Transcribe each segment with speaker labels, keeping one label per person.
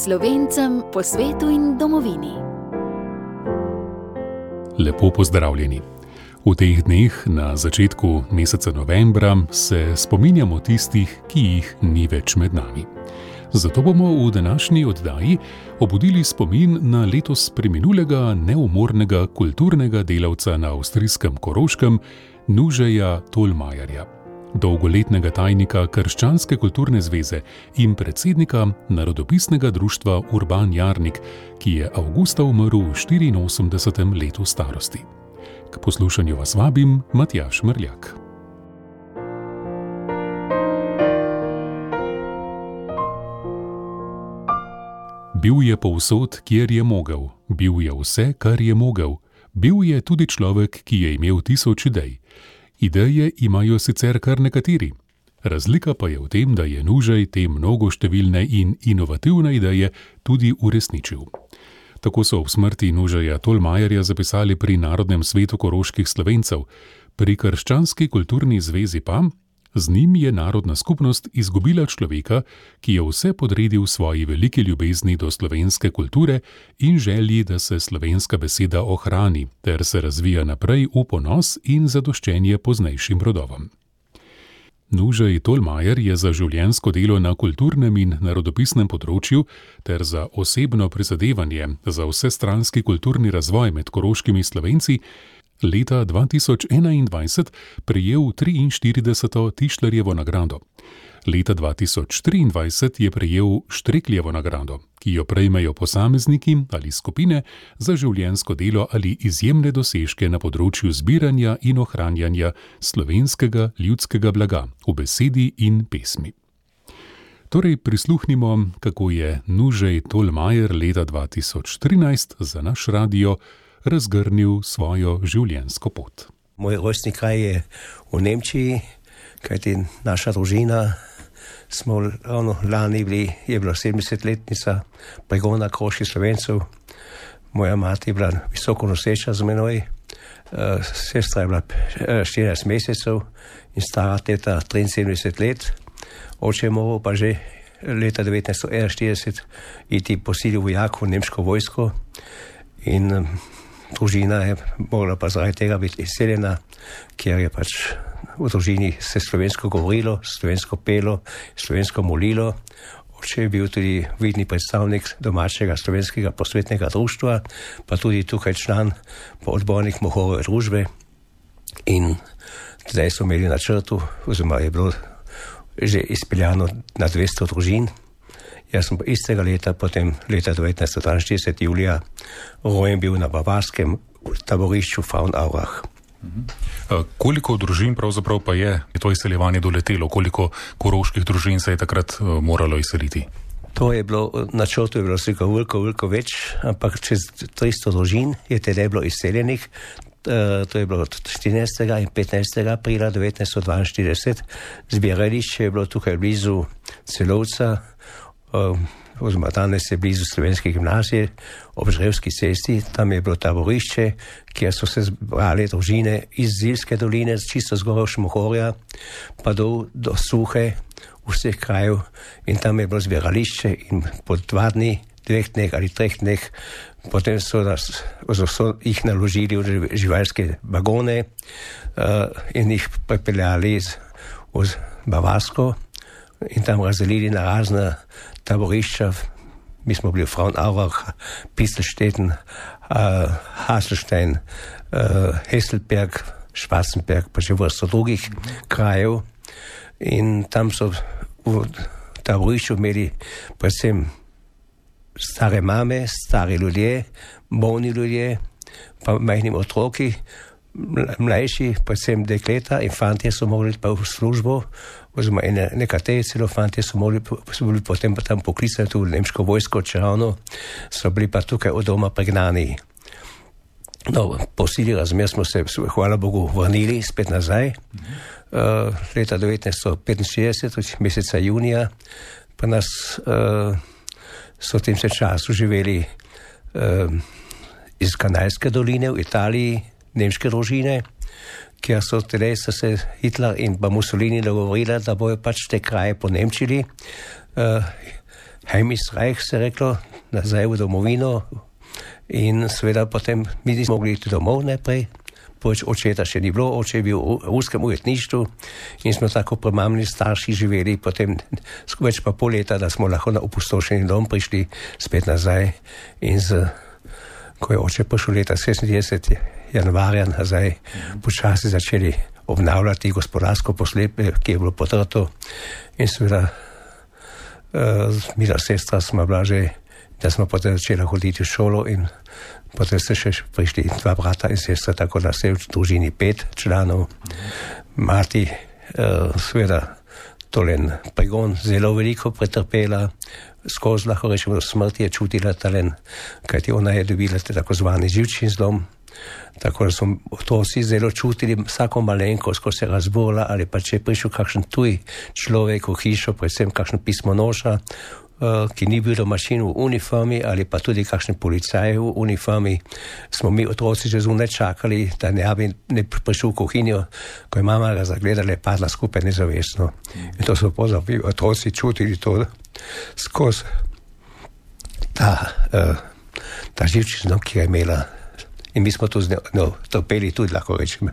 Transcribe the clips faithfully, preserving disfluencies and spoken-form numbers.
Speaker 1: Slovencem po svetu in domovini.
Speaker 2: Lepo pozdravljeni. V teh dneh, na začetku meseca novembra, se spominjamo tistih, ki jih ni več med nami. Zato bomo v današnji oddaji obudili spomin na letos preminulega neumornega kulturnega delavca na avstrijskem Koroškem, Nužeja Tolmajerja, dolgoletnega tajnika Krščanske kulturne zveze in predsednika Narodopisnega društva Urban Jarnik, ki je avgusta umrl v štiriinosemdesetem letu starosti. K poslušanju vas vabim Matjaž Mrljak. Bil je povsod, kjer je mogel, bil je vse, kar je mogel, bil je tudi človek, ki je imel tisoč idej. Ideje imajo sicer kar nekateri. Razlika pa je v tem, da je Nužej te mnogoštevilne in inovativne ideje tudi uresničil. Tako so ob smrti Nužeja Tolmajerja zapisali pri Narodnem svetu koroških Slovencev, pri Krščanski kulturni zvezi pa: z njim je narodna skupnost izgubila človeka, ki je vse podredil svoji veliki ljubezni do slovenske kulture in želji, da se slovenska beseda ohrani ter se razvija naprej v ponos in zadoščenje poznejšim rodovom. Nužej Tolmajer je za življenjsko delo na kulturnem in narodopisnem področju ter za osebno prizadevanje za vsestranski kulturni razvoj med koroškimi Slovenci leta dva tisoč enaindvajset prejel triinštirideseto Tišlerjevo nagrado. Leta dva tisoč triindvajset je prejel Štrekljevo nagrado, ki jo prejmejo posamezniki ali skupine za življenjsko delo ali izjemne dosežke na področju zbiranja in ohranjanja slovenskega ljudskega blaga v besedi in pesmi. Torej prisluhnimo, kako je Nužej Tolmajer leta dva tisoč trinajst za naš radio razgrnil svojo življenjsko pot.
Speaker 3: Moj rojstni kraj je v Nemčiji, kajti naša družina smo ravno lani bili, je bila sedemdesetletnica pregona koroških Slovencev. Moja mati je bila visoko noseča z menoj, sestra je bila štirinajst mesecev in stara teta triinsedemdeset let. Oče je moral pa že leta devetnajststo enainštirideset iti po sili vojak v nemško vojsko in družina je mogla pa zaradi tega biti izseljena, ker je pač v družini se slovensko govorilo, slovensko pelo, slovensko molilo. Oče je bil tudi vidni predstavnik domačega slovenskega prosvetnega društva, pa tudi tukaj član odbornik Mohorove družbe. In zdaj so imeli na črtu, oziroma je bilo že izpeljano na dvesto družin. Jaz sem istega leta, potem leta devetnajststo dvainštirideset julija, rojen bil na bavarskem taborišču Frauenaurach.
Speaker 2: Uh, koliko družin pravzaprav pa je to izseljevanje doletelo? Koliko koroških družin se je takrat uh, moralo izseliti?
Speaker 3: To je bilo, na črtu je bilo vsega veliko, veliko več, ampak čez tristo družin je tedaj bilo izseljenih. Uh, to je bilo od štirinajstega in petnajstega aprila devetnajststo dvainštirideset. Zbirališče je bilo tukaj blizu Celovca, uh, oziroma danes je blizu Slovenske gimnazije, ob Žrevski cesti. Tam je bilo taborišče, kjer so se zbrali družine iz Zilske doline, čisto zgoraj Šmohorja, pa do, do Suhe, vseh krajev. In tam je bilo zbirališče in po dva dni, dveh dneh ali treh dneh, potem so, nas, so jih naložili v živalske vagone uh, in jih pripeljali v Bavarsko in tam razdelili na razna taborišča. Mi smo bili v Frauenaurach, Pistelstetten, uh, Haselstein, uh, Hesselberg, Schwarzenberg, pa še vrsto drugih krajev. In tam so v taborišču imeli predvsem stare mame, stari ljudje, bolni ljudje, pa majhni otroki, mlajši, predvsem dekleta in fantje so mogli pa v službo, oziroma nekateri celo fantje so mogli, so bili potem pa tam poklicani tudi v nemško vojsko, čeravno so bili pa tukaj od doma pregnani. No, po sili razmer smo se, hvala Bogu, vrnili spet nazaj. Uh, leta devetnajststo petinšestdeset, meseca junija, pa nas uh, so v tem se času živeli uh, iz Kanalske doline v Italiji, nemške družine, kjer so tedaj se Hitler in pa Mussolini dogovorili, da bojo pač te kraje ponemčili. Uh, Heimesreich, se reklo, nazaj v domovino. In seveda potem mi nismo mogli iti domov najprej, poč očeta še ni bilo, oče je bil v ruskem ujetništvu in smo tako premamni starši živeli, potem več pa pol leta, da smo lahko na opustošeni dom prišli spet nazaj. In z, ko je oče prišel leta šestindevetdeset januarja nazaj, počasi začeli obnavljati gospodarsko poslepje, ki je bilo potrto. In seveda uh, mila sestra smo bila že, da smo potem začeli hoditi v šolo in potem ste še prišli dva brata in sestra, tako da se je v družini pet članov. Mati, uh, seveda, tolen pregon zelo veliko pretrpela, skozi lahko rečemo smrti je čutila talen, kajti ona je dobila tako zvani živčni zlom. Tako da so otroci zelo čutili vsako malenkost, ko se je razborila ali pa če je prišel kakšen tuj človek v hišo, predvsem kakšen pismonoša, ki ni bil domačin v uniformi ali pa tudi kakšen policaj v uniformi, smo mi otroci že zunaj čakali, da ne bi ne prišel v kuhinjo, ko je mama ga zagledala, je padla skupaj nezavestno. In to so pozabili otroci čutili to skozi ta, uh, ta živčni zlom, ki ga je imela. In mi smo to z njo trpeli tudi, lahko rečemo.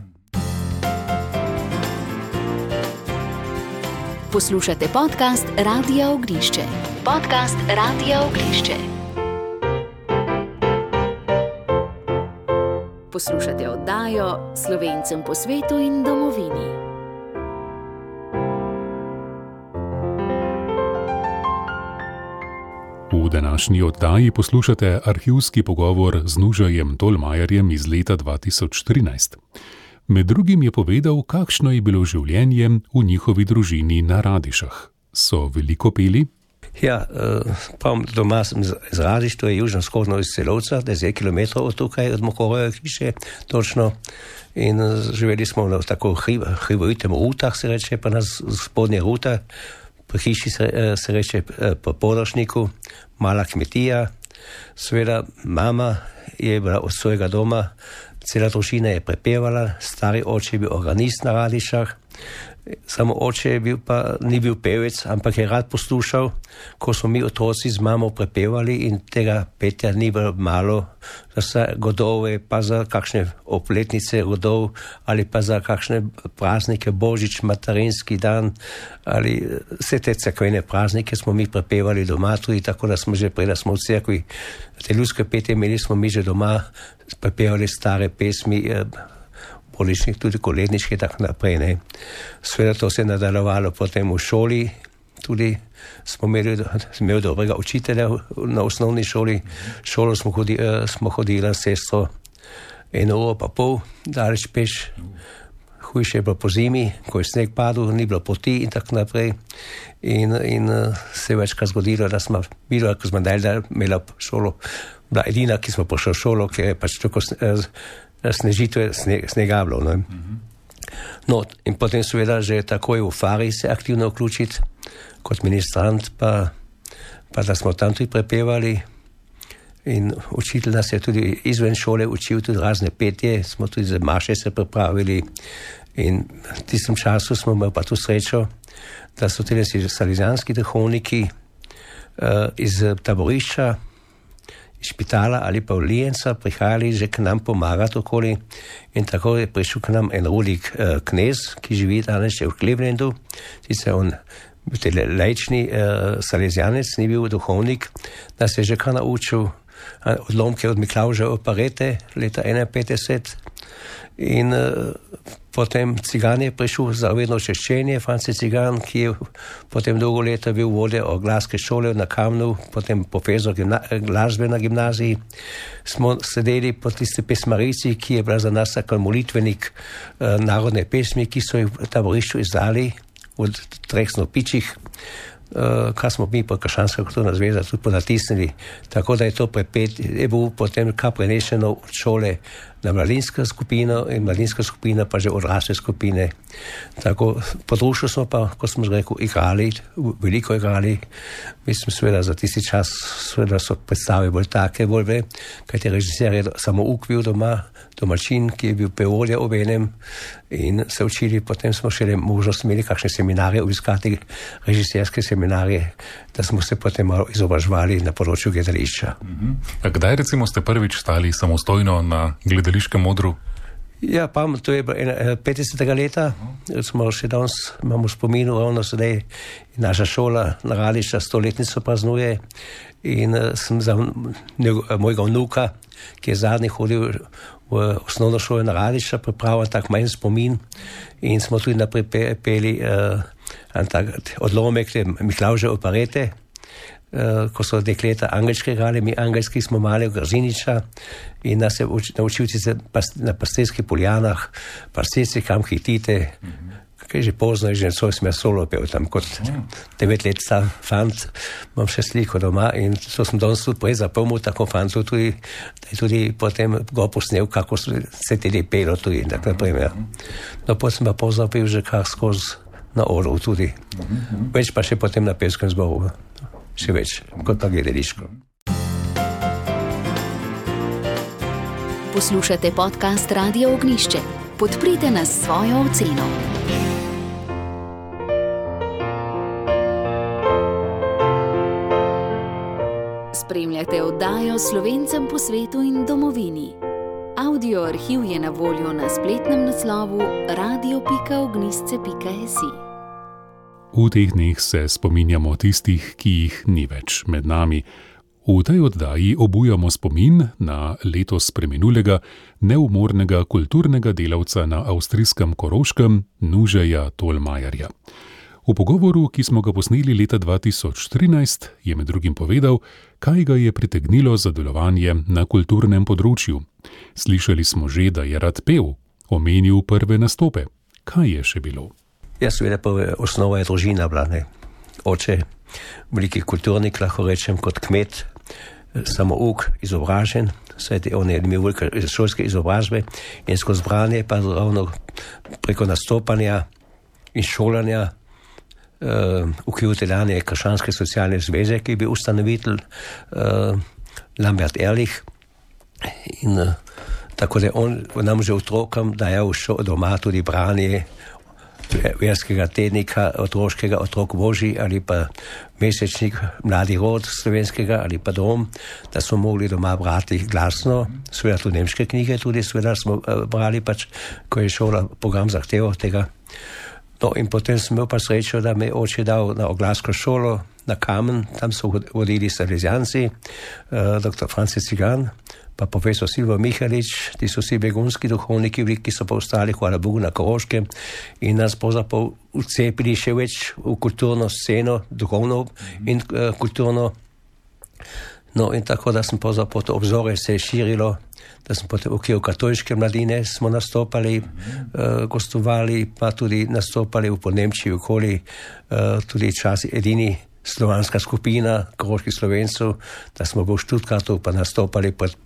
Speaker 1: Poslušate podcast Radia Ognišče. Podcast Radia Ognišče. Poslušate oddajo Slovencem po svetu in domovini.
Speaker 2: V današnji oddaji poslušate arhivski pogovor z Nužajem Tolmajerjem iz leta dva tisoč trinajst. Med drugim je povedal, kakšno je bilo življenje v njihovi družini na Radišah. So veliko peli?
Speaker 3: Ja, prav doma sem z Radiš, to je južno-vzhodno iz Celovca, deset kilometrov od tukaj, od Mokorove hiše, točno. In živeli smo na tako hribovitem rutah, se reče, pa na spodnje ruta, pri hiši se, se reče po Podošniku, mala kmetija. Seveda mama je bila od svojega doma, cela družina je prepevala, stari oče je bil organist na Radišah, samo oče je bil pa, ni bil pevec, ampak je rad poslušal, ko smo mi otroci z mamo prepevali in tega petja ni bilo malo, za vse godove, pa za kakšne opletnice godov ali pa za kakšne praznike, Božič, materinski dan ali vse te cerkvene praznike smo mi prepevali doma tudi, tako da smo že prej, da smo v cerkvi te ljudske petje imeli, smo mi že doma prepevali stare pesmi, poličnih, tudi koledniške, tako naprej, ne. Sveda to se je nadaljevalo potem v šoli, tudi smo imeli, imeli dobrega učitelja na osnovni šoli, šolo smo, hodi, smo hodili s sestro eno uro pa pol, daleč peš, hujše je bilo po zimi, ko je sneg padel, ni bilo poti in tako naprej. In, in se je večkrat zgodilo, da smo bilo, ko smo dalje imela šolo, bila edina, ki smo prišli v šolo, ker je pač tako snežitve, snega bilo. No. Mm-hmm. No, in potem seveda že takoj v Fari se aktivno vključiti kot ministrant, pa, pa da smo tam tudi prepevali in učitelj nas je tudi izven šole učil tudi razne petje, smo tudi za maše se pripravili in v tistem času smo imeli pa tu srečo, da so tudi salesijanski duhovniki uh, iz taborišča, iz špitala ali pa v Lijenca prihajali že k nam pomagati okoli in tako je prišel k nam en Rudik uh, knez, ki živi danes še v Clevelandu, sicer on bil laični uh, salezijanec, ni bil duhovnik, da se je že kar naučil odlomke od Miklavža operete leta enainpetdeset in uh, potem Cigan je prišel za vedno češčenje, Franci Cigan, ki je potem dolgo leta bil vodja oglaske šole na Kamnu, potem profesor gimna- glasbe na gimnaziji. Smo sedeli po tisti pesmarici, ki je bila za nas tako molitvenik uh, narodne pesmi, ki so jih v taborišču izdali od treh snopičih, uh, kar smo mi po Krščanska kulturna zveza tudi ponatisnili. Tako da je to prepet, je bil potem kar prenešeno od šole na mladinsko skupino in mladinska skupina pa že odrasle skupine. Tako području smo pa, kot smo že rekel, igrali, veliko igrali. Mislim, seveda za tisti čas seveda so predstave bolj take, bolj ve, kajti režiser je samo ukvil doma, domačin, ki je bil peolja ob enem in se učili, potem smo še možnost imeli kakšne seminarje, obiskati režiserske seminarje, da smo se potem malo izobraževali na področju gledališča.
Speaker 2: Uh-huh. A kdaj recimo ste prvič stali samostojno na gledališkem odru?
Speaker 3: Ja, pa to je petdesetega leta, smo še danes, imamo spominu, ravno sedaj naša šola na Radišča stoletnico praznuje in sem za mojega vnuka, ki je zadnji hodil v osnovno šolo na Radišča, pripravil tak manj spomin in smo tudi naprej peli uh, tak odlomek Miklavže operete, Uh, ko so dekleta angelske igrali, mi angelski smo mali v Grziniča in nas je uč, naučil se pas, na pastirskih poljanah, pastirci kam hitite, mm-hmm. kaj že pozno je že svoj sem solo pel tam kot mm. devet let star fant, imam še sliko doma in to sem danes tudi prej zapomnil tako fantu tudi, da je tudi potem go posnel, kako se tudi pelo tudi, tako naprimer. No, potem sem pa pozno pel že kar skozi na odru tudi, mm-hmm. več pa še potem na pevskem zboru. Še več, kot pa gledališko.
Speaker 1: Poslušate podcast Radia Ognjišče. Podprite nas s svojo oceno. Spremljate oddajo Slovencem po svetu in domovini. Audio arhiv je na voljo na spletnem naslovu radio pika ognjišče pika si.
Speaker 2: V teh dneh se spominjamo tistih, ki jih ni več med nami. V tej oddaji obujamo spomin na letos preminulega, neumornega kulturnega delavca na avstrijskem Koroškem, Nužeja Tolmajerja. V pogovoru, ki smo ga posneli leta dva tisoč trinajst, je med drugim povedal, kaj ga je pritegnilo za delovanje na kulturnem področju. Slišali smo že, da je rad pel, omenil prve nastope. Kaj je še bilo?
Speaker 3: Jaz seveda prve osnova je družina bila, ne. Oče, veliki kulturnik, lahko rečem, kot kmet, samouk, izobražen, saj on je imel velike šolske izobrazbe in skozi branje pa ravno preko nastopanja in šolanja uh, ukriviteljanje Krščanske socialne zveze, ki je bil ustanovitelj uh, Lambert Ehrlich in uh, tako da on nam že otrokom dajal doma tudi branje verskega tednika, otroškega Otrok Božji ali pa mesečnik Mladi rod slovenskega ali pa Dom, da smo mogli doma brati glasno, seveda tudi nemške knjige, tudi seveda smo brali pač, ko je šola program zahteval tega. No in potem sem imel pa srečo, da me je oče dal na oglasko šolo, na Kamen, tam so vodili Salesijanci, uh, doktor Franci Cigan, pa profesor Silvo Mihalič, ti so vsi begunski duhovniki, ki so pa ostali, hvala Bogu, na Koroškem in nas pravzaprav vcepili še več v kulturno sceno, duhovno in uh, kulturno. No in tako, da sem pravzaprav to obzore se je širilo, da smo potem v okviru katoliške mladine smo nastopali, uh, gostovali, pa tudi nastopali v Podnemčiji okoli, uh, tudi časi edini slovanska skupina koroških Slovencev, da smo v Štutgartu pa nastopali pred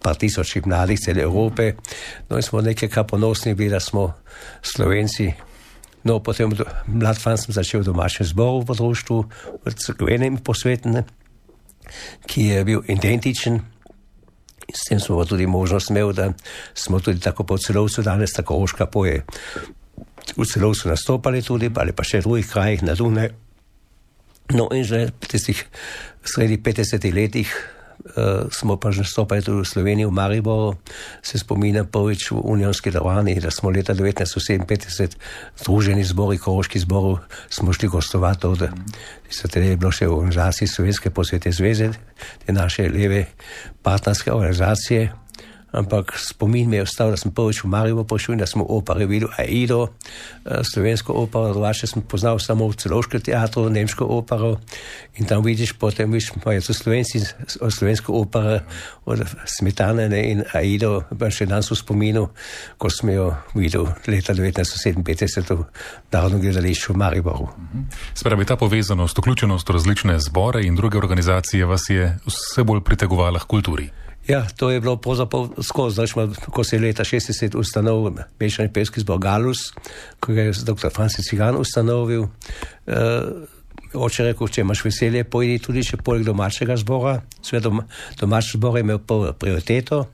Speaker 3: par tisoči mladih cele Evrope. No in smo nekaj kar ponosni bili, da smo Slovenci. No, potem mlad fan sem začel v domačem zboru v društvu, v crkvenem posvetnem, ki je bil identičen. In s tem smo tudi možnost imeli, da smo tudi tako po Celovcu, danes tako Koroška poje. V Celovcu nastopali tudi, ali pa še v drugih krajih na Dunaju. No in že v tistih sredi petdesetih letih uh, smo pa že nastopali tudi v Sloveniji, v Mariboru. Se spominjam prvič v Unionski dvorani, da smo leta devetnajststo sedeminpetdeset združeni zbori, koroški zboru, smo šli gostovati od, so teda je bilo še v organizaciji Slovenske posvete zveze, te naše leve partnerske organizacije. Ampak spomin mi je ostal, da sem prvič v Mariboru prišel in da sem v operi videl Aido, slovensko opero, drugače sem poznal samo v Celovškem teatru, nemško opero in tam vidiš, potem vidiš, pa je to slovenci, slovensko opero od Smetane in Aido, pa še danes v spominu, ko sem jo videl leta devetnajststo sedeminpetdeset v Narodnem gledališču v Mariboru.
Speaker 2: Spravi, ta povezanost, vključenost v različne zbore in druge organizacije vas je vse bolj pritegovala k kulturi.
Speaker 3: Ja, to je bilo pravzaprav skozi, znači, ko se je leta šestdeset ustanovil mešani pevski zbor Galus, ko je doktor Francis Cigan ustanovil. Uh, oče rekel, če imaš veselje, pojdi tudi še poleg domačega zbora. Sve doma, domači zbor je imel prioriteto,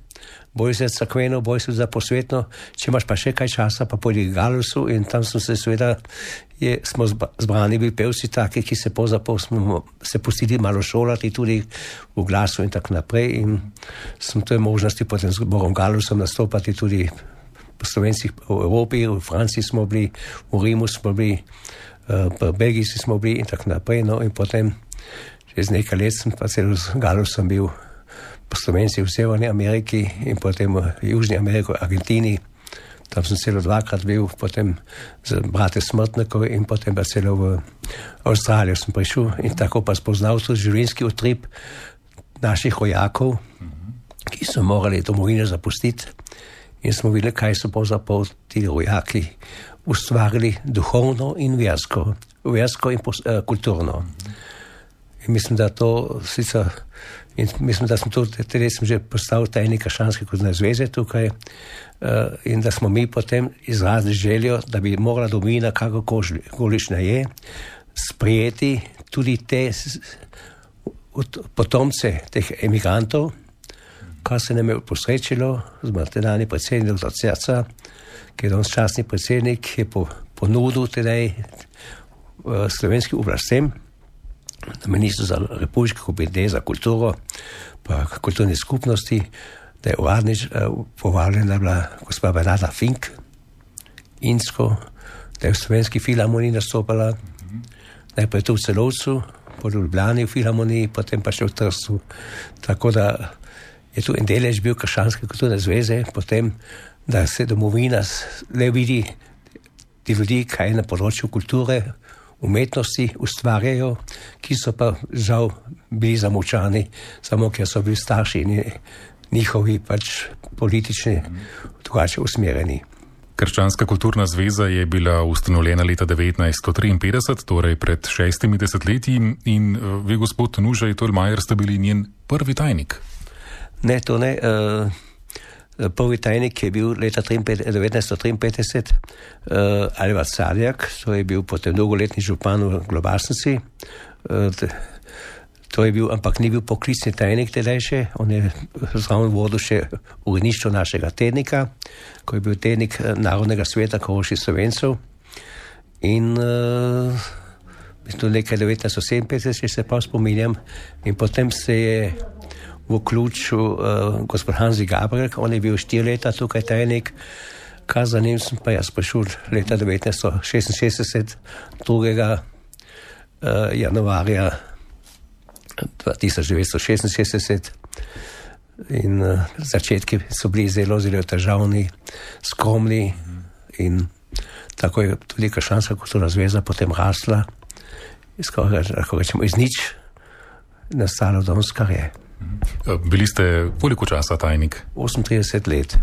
Speaker 3: boj se crkveno, boj se za posvetno, če imaš pa še kaj časa, pa pojdi k Galusu in tam smo se seveda, je, smo zbrani bili pevci taki, ki se pozapol smo se pustili malo šolati tudi v glasu in tako naprej in smo to možnosti potem z zborom Galusom nastopati tudi po Slovencih v Evropi, v Franciji smo bili, v Rimu smo bili, v Belgiji smo bili in tako naprej, no in potem čez nekaj let sem pa celo z Galusom bil po Slovencih v Severni Ameriki in potem v Južni Ameriki, Argentini. Tam sem celo dvakrat bil, potem z brate Smrtnikov in potem pa celo v Avstralijo sem prišel in tako pa spoznal tudi življenjski utrip naših rojakov, ki so morali domovino zapustiti in smo videli, kaj so pravzaprav ti rojaki ustvarili duhovno in versko, versko in pos, uh, kulturno. In mislim, da to sicer, in mislim, da sem tudi, tudi sem že postal tajnik Krščanske kulturne zveze tukaj uh, in da smo mi potem izrazili željo, da bi morala domovina, kakokolična je, sprejeti tudi te potomce teh emigrantov, kar se nam je posrečilo z tedajnim predsednikom doktor Cerca, ki je danes častni predsednik, je po, ponudil tedaj uh, slovenskim oblastem, na ministru za republiško komite za kulturo, pa kulturne skupnosti, da je uradnič uh, povabljena bila gospa Bernarda Fink, Insko, da je v slovenski filharmoniji nastopala, najprej tu v Celovcu, po Ljubljani v filharmoniji, potem pa še v Trstu. Tako da je tu en delež bil Krščanske kulturne zveze, potem, da se domovina le vidi ti ljudi, kaj na področju kulture, umetnosti ustvarjajo, ki so pa žal bili zamolčani, samo ker so bili starši in njihovi pač politični drugače usmerjeni.
Speaker 2: Krščanska kulturna zveza je bila ustanovljena leta devetnajststo triinpetdeset, torej pred šestimi desetletji in vi, gospod Nužaj Tolmajer, ste bili njen prvi tajnik.
Speaker 3: Ne, to ne. Uh, prvi tajnik je bil leta devetnajststo triinpetdeset uh, Alvar Sadjak, to je bil potem dolgoletni župan v Globasnici. Uh, to je bil, ampak ni bil poklicni tajnik tedaj še, on je zraven vodil še uredništvo našega tednika, ko je bil tednik Narodnega sveta Koroških Slovencev. In uh, mislim, nekaj devetnajststo sedeminpetdeset, če se pa spominjam, in potem se je v ključu uh, gospod Hansi Gabriel, on je bil štiri leta tukaj tajnik, kar za njim sem pa jaz prišel leta devetnajststo šestinšestdeset, drugega Uh, januarja tisoč devetsto šestinšestdeset in uh, začetki so bili zelo, zelo težavni, skromni in tako je tudi Krščanska kulturna zveza potem rasla, skoraj, lahko rečemo, iz nič nastalo danes, kar je.
Speaker 2: Bili ste koliko časa tajnik?
Speaker 3: osemintrideset let.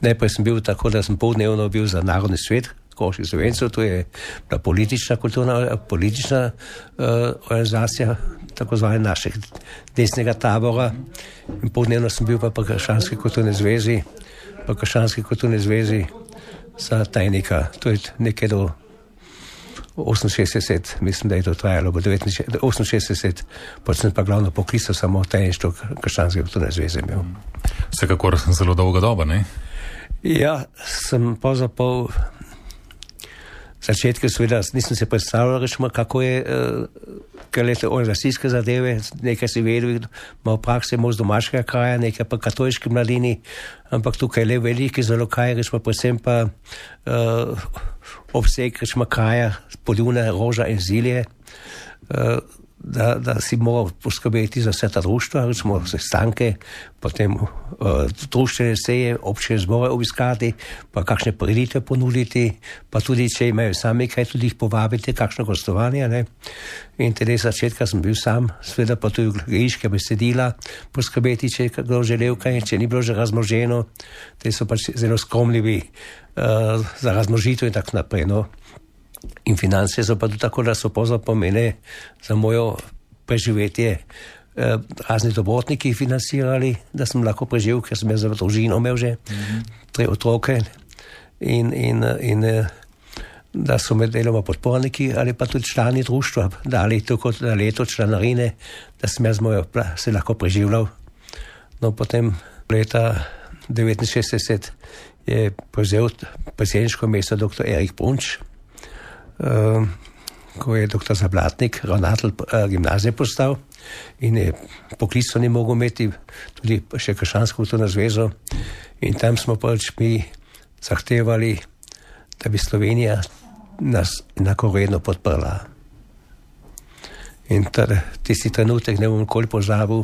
Speaker 3: Najprej sem bil tako, da sem poldnevno bil za Narodni svet Koroških Slovencev, to je bila politična kulturna, politična uh, organizacija, tako zvane našeg desnega tabora. In poldnevno sem bil pa po Krščanski kulturni zvezi, po Krščanski kulturni zvezi za tajnika. To je nekaj do oseminšestdeset, mislim, da je to trajalo, bo oseminšestdeset, potem pa glavno poklical samo tajništvo Krščanske kulturne zveze imel.
Speaker 2: Vsekakor zelo dolga doba, ne?
Speaker 3: Ja, sem pravzaprav začetke seveda nisem se predstavljal, rečemo, kako je, uh, kaj lete organizacijske zadeve, nekaj si vedel, malo prakse, malo z domačega kraja, nekaj pa katoliški mladini, ampak tukaj le veliki zelo kaj, rečemo, predvsem pa uh, obseg, rečemo, kraja, Poljune, Roža in Zilje, uh, da, da si moral poskrbeti za vse ta društva, recimo sestanke, potem uh, društvene seje, občine zbore obiskati, pa kakšne prireditve ponuditi, pa tudi, če imajo sami kaj, tudi jih povabiti, kakšno gostovanje, ne. In tedy začetka sem bil sam, seveda pa tudi gledališka besedila, poskrbeti, če je kdo želel kaj, če ni bilo že razmnoženo, te so pač zelo skromljivi uh, za razmnožitev in tako naprej, no. In finance so pa tudi tako, da so pozor pomene za mojo preživetje razni dobrotniki financirali, da sem lahko preživel, ker sem jaz za družino imel že mm-hmm. tri otroke in, in, in da so med deloma podporniki ali pa tudi člani društva dali tako na leto članarine, da sem jaz moj, se lahko preživljal. No, potem leta devetinšestdeset je prevzel predsedniško mesto doktor Erik Brunč, uh, ko je doktor Zablatnik, ravnatelj uh, gimnazije postal in je poklicno ni mogel imeti tudi še krščansko kulturno zvezo in tam smo pač mi zahtevali, da bi Slovenija nas enakovredno podprla. In tisti trenutek ne bom nikoli pozabil,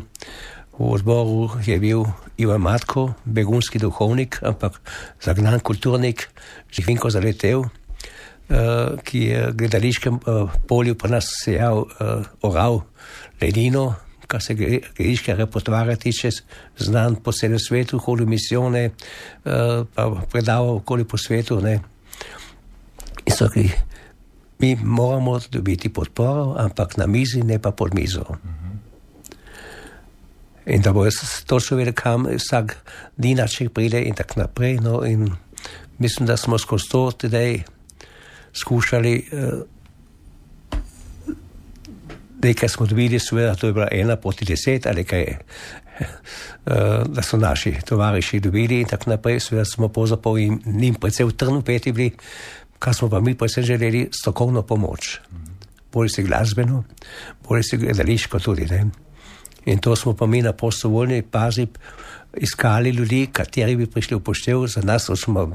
Speaker 3: v odboru je bil Ivan Matko, begunski duhovnik, ampak zagnan kulturnik, Živinko Zaletel, uh, ki je v gledališkem uh, polju pa nas sejal, uh, oral ledino, kar se gledališke repertoarja tiče, znan po celem svetu, hodil misijone, uh, pa predaval okoli po svetu, ne. In so rekli, mi moramo dobiti podporo, ampak na mizi, ne pa pod mizo. Mm-hmm. In da bo točno vedel, kam vsak dinaček pride in tak naprej. No, in mislim, da smo skozi to tedaj skušali, uh, nekaj smo dobili, seveda, to je bila ena proti deset, ali kaj je, uh, da so naši tovariši dobili in tak naprej, seveda smo pozapol in njim predvsej v trnu peti bili, kar smo pa mi predvsem želeli, strokovno pomoč. Bolj si glasbeno, bolj si gledališko tudi, ne. In to smo pa mi na prostovoljni bazi iskali ljudi, kateri bi prišli v poštev za nas, smo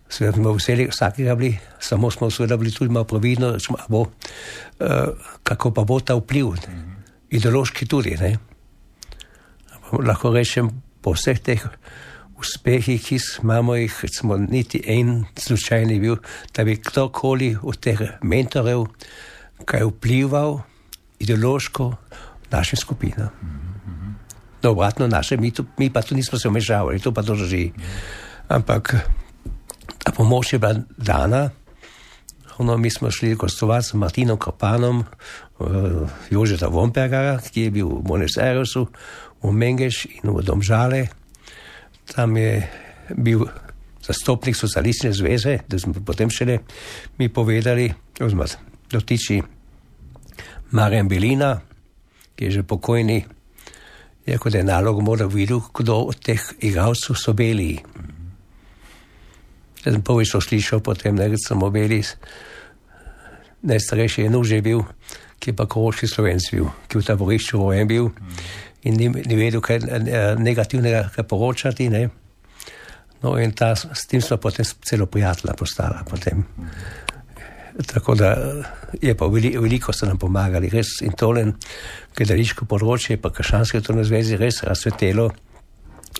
Speaker 3: seveda smo veseli vsakega bili, samo smo seveda bili tudi malo previdno, bo, uh, kako pa bo ta vpliv, mm-hmm. ideološki tudi, ne. Lahko rečem, po vseh teh uspehi, ki imamo jih, smo niti en slučajni bil, da bi kdorkoli od teh mentorjev kaj vplival ideološko našim skupinam. Mm-hmm. No, obratno naše, mi, to, mi pa tu nismo se vmešavali, to pa to drži. Mm-hmm. Ampak ta pomoč je bila dana, ono, mi smo šli gostovati s Martinom Kropanom, uh, Jožeta Vompergara, ki je bil v Buenos Airesu, v Mengeš in v Domžale. Tam je bil zastopnik socialistične zveze, da smo potem šele mi povedali, oziroma dotiči Marjan Belina, ki je že pokojni, je kot je nalog moral videl, kdo od teh igralcev so beli. Jaz sem prvič to slišal, potem nekaj samo beli, najstarejši je Nuž je bil, ki je pa koroški Slovenc bil, ki je v taborišču rojen bil. In ni, ni vedel, kaj negativnega kaj poročati, ne. No, in ta, s tem smo potem celo prijatelja postala potem. Tako da je pa veliko, veliko so nam pomagali, res in tolen gledališko področje, pa krščanske kulturne zveze res razsvetelo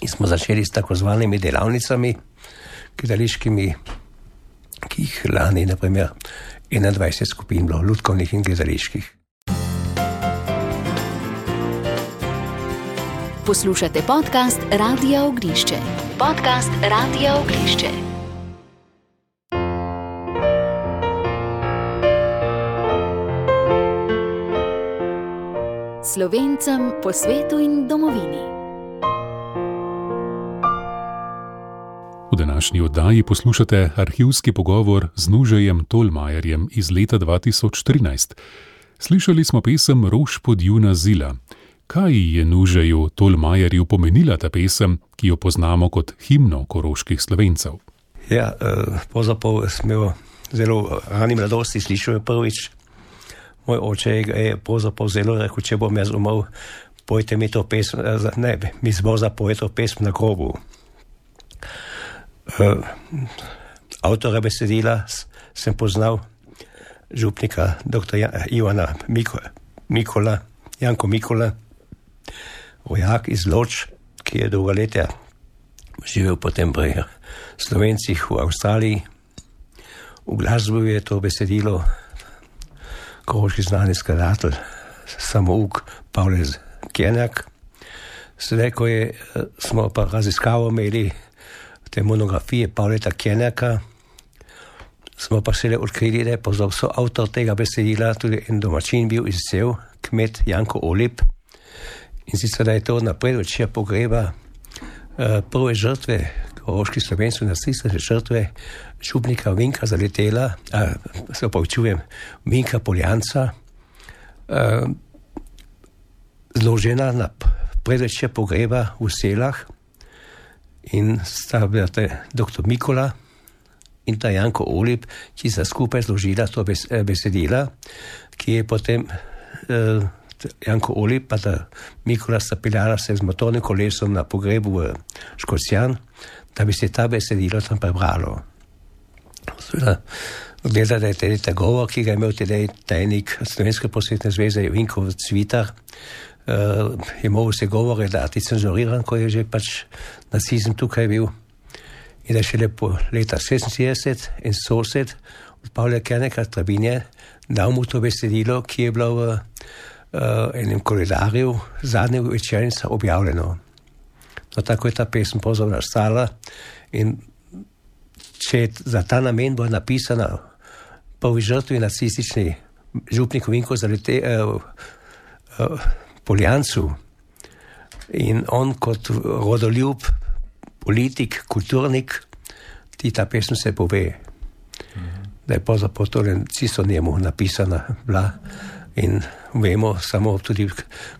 Speaker 3: in smo začeli s tako zvanimi delavnicami gledališkimi, ki jih lani, na primer, enaindvajset skupin bilo, lutkovnih in gledaliških.
Speaker 1: Poslušate podcast Radia Ognišče. Podcast Radia Ognišče. Slovencem po svetu in domovini.
Speaker 2: V današnji oddaji poslušate arhivski pogovor z Nužejem Tolmajerjem iz leta dva tisoč trinajst. Slišali smo pesem Rož pod juna zila. Kaj je Nužeju Tolmajerju pomenila ta pesem, ki jo poznamo kot himno koroških Slovencev?
Speaker 3: Ja, pravzaprav sem imel zelo rani mladosti, slišal je prvič. Moj oče je pravzaprav zelo rekel, če bom jaz umrl, pojte mi to pesem, ne, mi zbor zapoje to pesem na grobu. Avtora besedila sem poznal župnika doktor Ivana Mikola, Janko Mikola, vojak iz Loč, ki je dolga leta živel potem pri Slovencih v Avstraliji. V glasbi je to besedilo koroški znani skladatelj, samouk Pavle Kjenjak. Sedaj, ko je, smo pa raziskavo imeli te monografije Pavleta Kjenjaka, smo pa šele odkrili, da je pozor so avtor tega besedila tudi en domačin bil iz Cev, kmet Janko Olip. In sicer, da je to na predvečer pogreba uh, prve žrtve, koroških Slovencev, nacistične žrtve, župnika Vinka Zaletela, a, se opravičujem, Vinka Poljanca, uh, zložena na predvečer pogreba v Selah in sta bila doktor Mikola in ta Janko Olip, ki sta skupaj zložila to besedila, ki je potem uh, Janko Olip pa ta Mikola sta peljala se z motornim kolesom na pogrebu v Škocjan, da bi se ta besedilo tam prebralo. Seveda, gleda, da je tedy ta govor, ki ga je imel tedy tajnik Slovenske prosvetne zveze Vinko Cvitar, uh, je mogel se govore dati cenzuriran, ko je že pač nacizem tukaj bil. In da šele po leta šestinsedemdeset in sosed od Pavla Kerneka Trabinje dal mu to besedilo, ki je bilo v uh, enem koledarju zadnje večernica objavljeno. No, tako je ta pesem pozorno nastala in če za ta namen bo napisana prvi žrtvi nacistični župnik Vinko Zalete, uh, uh, Poljancu in on kot rodoljub, politik, kulturnik, ti ta pesem se pove, mm-hmm. da je pozapod torej čisto njemu napisana bila in vemo samo tudi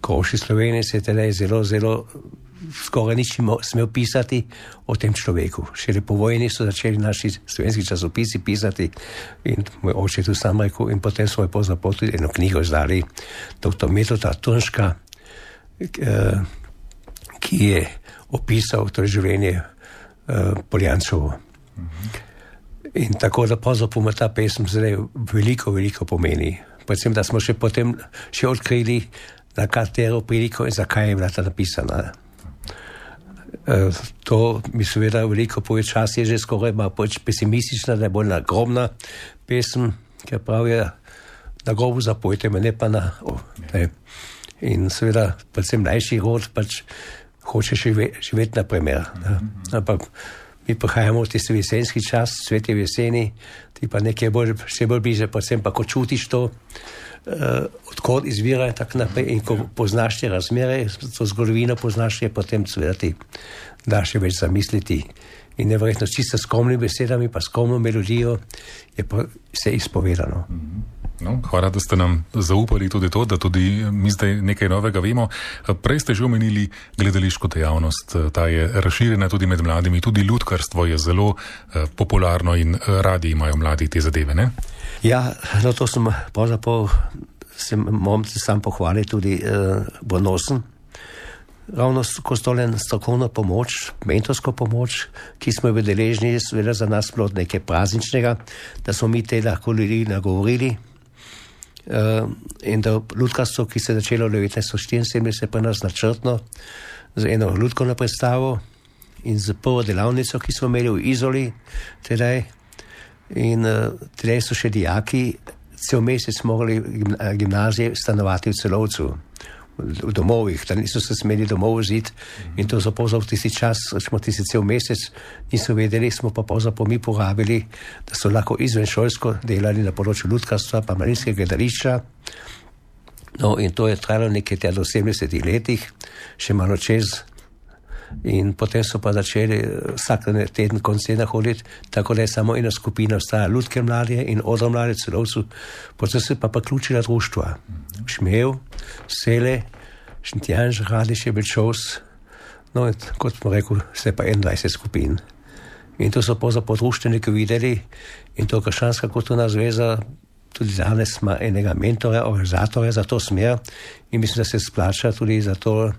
Speaker 3: koroški Slovenec je teda zelo, zelo skoraj nič smel pisati o tem človeku. Šele po vojni so začeli naši slovenski časopisi pisati in moj oče tu sam rekel in potem smo je pozapod tudi eno knjigo izdali doktor Metoda Turnška, ki je opisal to življenje uh, Poljancovo. Mm-hmm. In tako da pozapoma ta pesem zdaj veliko, veliko pomeni. Predvsem, da smo še potem še odkrili, na katero priliko in zakaj je bila ta napisana. Uh, to mi seveda veliko pove, čas je že skoraj malo pesimistična, da je bolj nagrobna pesem, ker pravijo, na grobu zapojte me, ne pa na... Oh, ne. In seveda, predvsem mlajši rod, pač hoče živeti na primer. Mm-hmm. Ampak mi prihajamo v tisti jesenski čas, svet je v jeseni, ti pa nekaj bolj, še bolj bliže, predvsem pa ko čutiš to, uh, odkot izvira in tako naprej, in ko poznaš te razmere, to zgodovino poznaš, je potem seveda ti da še več zamisliti. In neverjetno s čisto skromnimi besedami, pa skromno melodijo, je pa vse izpovedano.
Speaker 2: Mm-hmm. No, hvala, da ste nam zaupali tudi to, da tudi mi zdaj nekaj novega vemo. Prej ste že omenili gledališko dejavnost, ta je razširjena tudi med mladimi, tudi lutkarstvo je zelo eh, popularno in radi imajo mladi te zadeve, ne?
Speaker 3: Ja, no to sem pravzaprav, sem moram se sam pohvaliti tudi eh, Bonosen. Ravno kostolen strokovno pomoč, mentorsko pomoč, ki smo jo deležni, seveda za nas bilo nekaj prazničnega, da smo mi te lahko ljudi nagovorili. Uh, in da lutkarstvo, ki se je začelo v devetnajststo štiriinsedemdeset pri nas načrtno z eno lutkovno predstavo in z prvo delavnico, ki smo imeli v Izoli tedaj. In uh, tedaj so še dijaki cel mesec mogli gimnazije stanovati v Celovcu, v domovih, da niso se smeli domov vziti in to so pravzaprav tisti čas, smo tisti cel mesec niso vedeli, smo pa pravzaprav mi porabili, da so lahko izvenšolsko delali na področju lutkarstva pa mladinskega gledališča. No in to je trajalo nekaj tja do sedemdesetih letih, še malo čez in potem so pa začeli vsak teden koncena hoditi, tako da je samo ena skupina ostala lutke mladje in odro mladje Celovcu, potem se pa priključila društva. Šmev, Sele, Šentjanž, Radiš, Bečovs, no in kot smo rekel, se pa enaindvajset skupin. In to so pravzaprav društveniki videli in to Krščanska kulturna zveza tudi danes ima enega mentora, organizatorja za to smer in mislim, da se splača tudi za to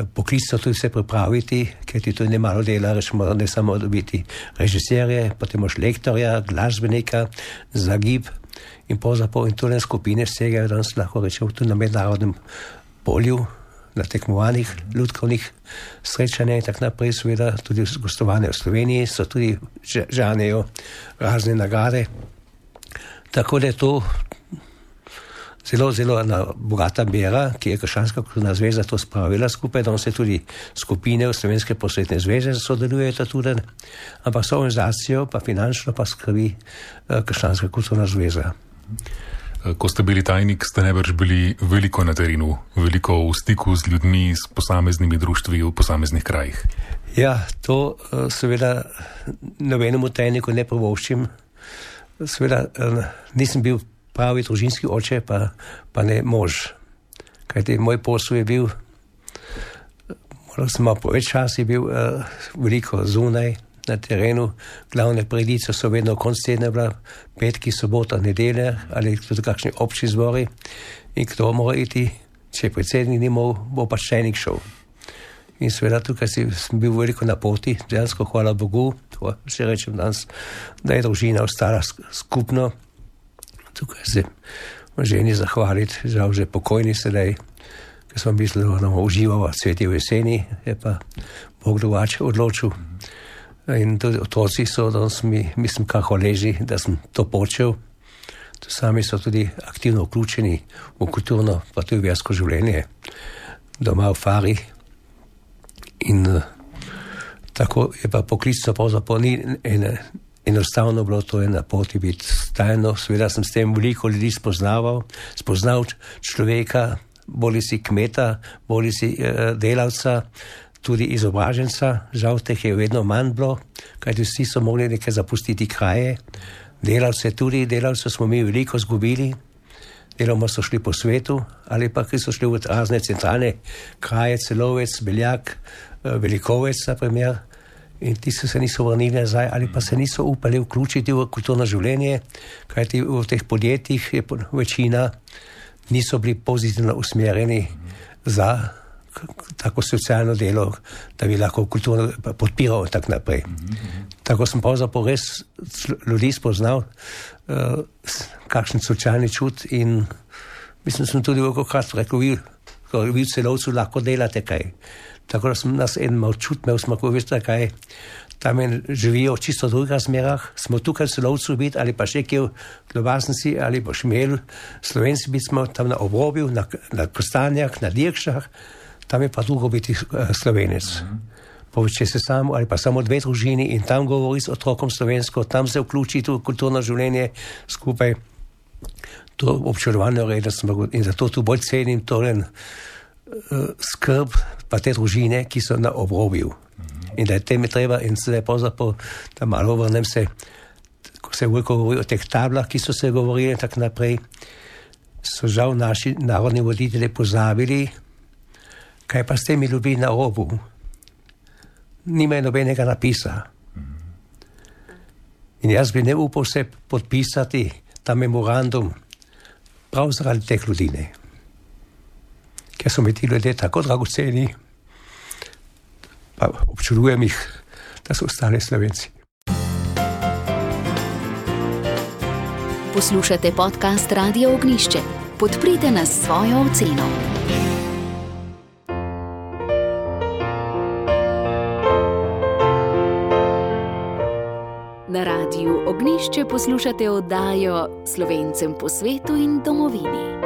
Speaker 3: poklicno tudi se pripraviti, ker ti tudi ne malo dela, rečemo, ne samo dobiti režiserje, potem moš lektorja, glasbenika, zagib in pravzaprav in tole skupine vsega danes lahko rečemo tudi na mednarodnem polju, na tekmovanjih, ljudkovnih srečanjih in tako naprej, seveda tudi gostovanje v Sloveniji, so tudi žanejo razne nagrade. Tako da je to zelo, zelo ena bogata mera, ki je Krščanska kulturna zveza to spravila skupaj, da se tudi skupine v Slovenske prosvetne zveze sodelujejo tudi, ampak so organizacijo, pa finančno pa skrbi Krščanska kulturna zveza.
Speaker 2: Ko ste bili tajnik, ste najbrž bili veliko na terenu, veliko v stiku z ljudmi, s posameznimi društvi v posameznih krajih.
Speaker 3: Ja, to seveda nobenemu tajniku ne privoščim. Seveda nisem bil pravi družinski oče, pa, pa ne mož. Kajti moj posel je bil, moral sem malo več časa, je bil uh, veliko zunaj na terenu. Glavne prireditve so vedno konec tedna bila, petki, sobota, nedelja ali tudi kakšni obči zbori. In kdo mora iti, če predsednik ni mogel, bo pač tajnik šel. In seveda tukaj sem bil veliko na poti, dejansko hvala Bogu, to še rečem danes, da je družina ostala skupno. Tukaj se ženi zahvaliti, žal že pokojni sedaj, ker smo mislili, da bomo uživali cvetje v jeseni, je pa Bog drugače odločil. In tudi otroci so danes mi, mislim, kar hvaležni, da sem to počel. To sami so tudi aktivno vključeni v kulturno, pa tudi versko življenje, doma v Fari. In uh, tako je pa poklicno pravzaprav ni ene, enostavno bilo to je na poti biti stajno. Seveda sem s tem veliko ljudi spoznaval, spoznal človeka, boli si kmeta, boli si uh, delavca, tudi izobraženca, žal teh je vedno manj bilo, kajti vsi so mogli nekaj zapustiti kraje. Delavce tudi, delavce smo mi veliko zgubili, deloma so šli po svetu, ali pa ki so šli v razne centralne kraje, Celovec, Beljak, Velikovec, na primer, in ti so se niso vrnili nazaj, ali pa se niso upali vključiti v kulturno življenje, kajti v teh podjetjih je večina niso bili pozitivno usmerjeni za tako socialno delo, da bi lahko kulturno podpiral in tako naprej. Tako sem pravzaprav res ljudi spoznal, uh, kakšen socialni čut in mislim, sem tudi velikokrat rekel, vi, vi v Celovcu lahko delate kaj. Tako da sem nas en mal čut, imel smo, ko veste kaj, tam živijo v čisto drugih razmerah, smo tukaj v Celovcu biti, ali pa še kje v Globasnici, ali pa Šmel, Slovenci biti smo tam na obrobju, na, na Kostanjah, na Dirkšah, tam je pa drugo biti uh, Slovenec. Če se samo ali pa samo dve družini in tam govori s otrokom slovensko, tam se vključi v kulturno življenje skupaj, to občudovanje reda smo in zato tu bolj cenim torej uh, skrb pa te družine, ki so na obrobju. In da je tem je treba in sedaj pravzaprav, da malo vrnem se, ko se veliko govori o teh tablah, ki so se govorili in tako naprej, so žal naši narodni voditelji pozabili, kaj pa s temi ljudmi na robu. Nimajo nobenega napisa. In jaz bi ne upal se podpisati ta memorandum prav zaradi teh ljudi, ne. Ker so mi ti ljudje tako dragoceni, pa občudujem jih, da so ostali Slovenci.
Speaker 1: Poslušate podcast Radia Ognjišče. Podprite nas s svojo oceno. Na Radiu Ognjišče poslušate oddajo Slovencem po svetu in domovini.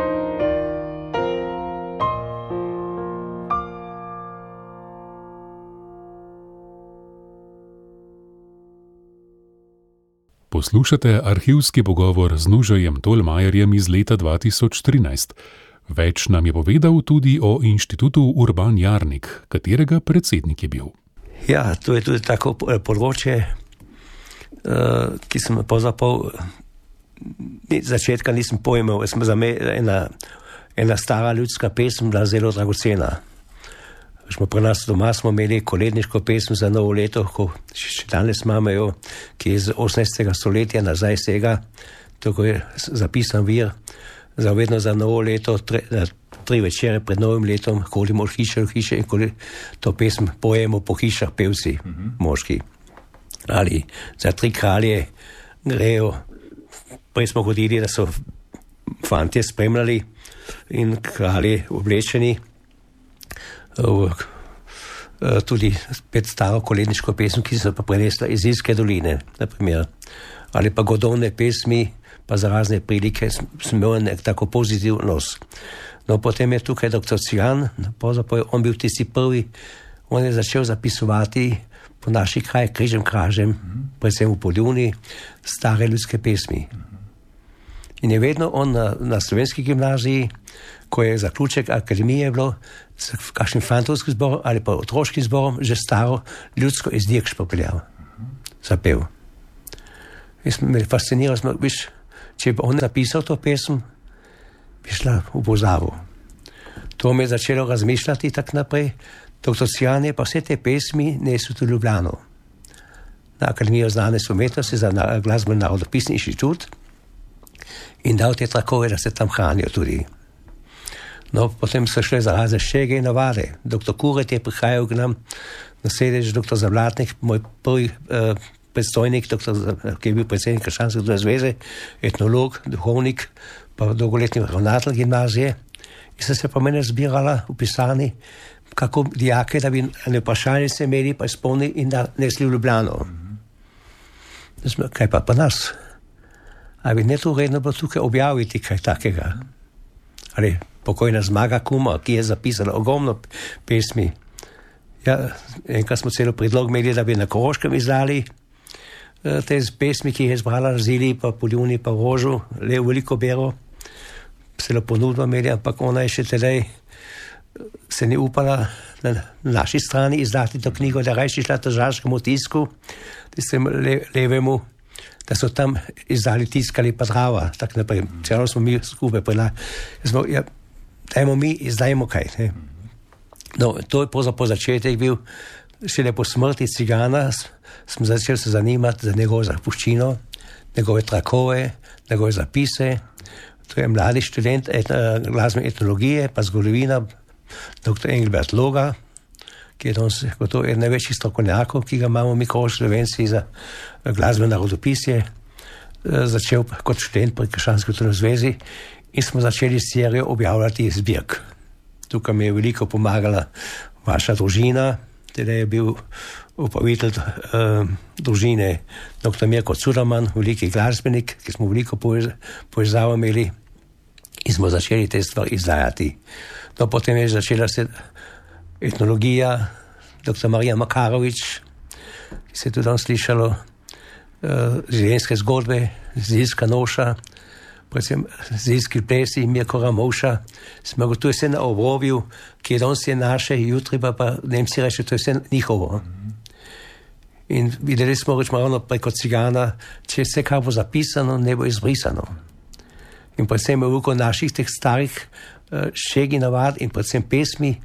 Speaker 2: Poslušate arhivski pogovor z Nužajem Tolmajerjem iz leta dva tisoč trinajst. Več nam je povedal tudi o inštitutu Urban Jarnik, katerega predsednik je bil.
Speaker 3: Ja, to je tudi tako področje, Uh, ki sem pozapol, začetka nisem pojmel, za me ena, ena stara ljudska pesem bila zelo dragocena. Smo pri nas doma smo imeli koledniško pesem za novo leto, ko še danes imamo jo, ki je z osemnajstega stoletja nazaj sega, tako je zapisan vir, za vedno za novo leto, tre, tri večere pred novim letom, hodimo od hiše v hiše in ko to pesem pojemo po hišah pevci, mm-hmm. moški. Ali za tri kralje grejo, prej smo hodili, da so fantje spremljali in kralje oblečeni, tudi spet staro koledniško pesem, ki so pa prenesla iz Ilske doline, naprimer. Ali pa godovne pesmi, pa za razne prilike sem imel nek tako pozitiv nos. No, potem je tukaj doktor Cigan, pravzaprav on bil tisti prvi, on je začel zapisovati po naših krajih križem kražem, mm-hmm. predvsem v Poljuni, stare ljudske pesmi. Mm-hmm. In je vedno on na, na slovenski gimnaziji, ko je zaključek akademije bilo, s kakšnim fantovskim zborom ali pa otroškim zborom, že staro ljudsko iz Dirkš popeljal, zapel. In me fasciniralo, smo, viš, če bi on napisal to pesem, bi šla v pozavu. To me je začelo razmišljati tak naprej. Doktor Cijan je pa vse te pesmi nesel v Ljubljano. Na Akademijo znanosti umetnosti za glasbeni narodopisni inštitut in dal te trakove, da se tam hranijo tudi. No, potem so šle za razne šege in navade. Doktor Kuret je prihajal k nam na sedež, doktor Zablatnik, moj prvi eh, predstojnik, doktor, ki je bil predsednik Krščanske družbene zveze, etnolog, duhovnik, pa dolgoletni ravnatelj gimnazije. In so se pa mene zbirala v pisarni, kako dijake, da bi na vprašanje se imeli, pa izpolnili in da nesli v Ljubljano. Mm-hmm. Kaj pa pa nas? Ali bi ne to vredno bilo tukaj objaviti kaj takega? Ali pokojna Zmaga Kuma, ki je zapisala ogromno pesmi. Ja, enkrat smo celo predlog imeli, da bi na Koroškem izdali eh, te pesmi, ki je izbrala Zili, pa Poljuni, pa Rožu, le veliko bero. Celo ponudbo imeli, ampak ona je še tedaj se ni upala na naši strani izdati to knjigo, da rajši šla tržaškemu tisku, tistemu le, levemu, da so tam izdali tiskali pa Drava, tak naprej. Celo smo mi skupaj prela. Smo, ja, dajmo mi, izdajmo kaj. Ne? No, to je po začetek bil, šele po smrti Cigana, sem začel se zanimati za njegovo zapuščino, njegove trakove, njegove zapise. To je mladi študent et, glasbene etnologije, pa zgodovina, doktor Engelbert Loga, ki je danes gotovo eden največjih strokovnjakov, ki ga imamo mi kot Slovenci za glasbene narodopisje, začel kot študent pri Krščanski družbeni zvezi in smo začeli serijo objavljati zbirk. Tukaj mi je veliko pomagala vaša družina, teda je bil upravitelj uh, družine doktor Mirko Cuderman, veliki glasbenik, ki smo veliko povezavo imeli in smo začeli te stvari izdajati. No, potem je začela se etnologija, doktor Marija Makarovič, ki se je tudi tam slišalo, uh, življenjske zgodbe, Zilska noša, predvsem Zilski plesi, Mirko Ramovša, smo gotovi vse na obrobju, ki je danes je naše, jutri pa pa Nemci reče, to je vse njihovo. In videli smo reč ravno preko Cigana, če vse kar bo zapisano, ne bo izbrisano. In predvsem je veliko naših teh starih uh, šegi navad in predvsem pesmi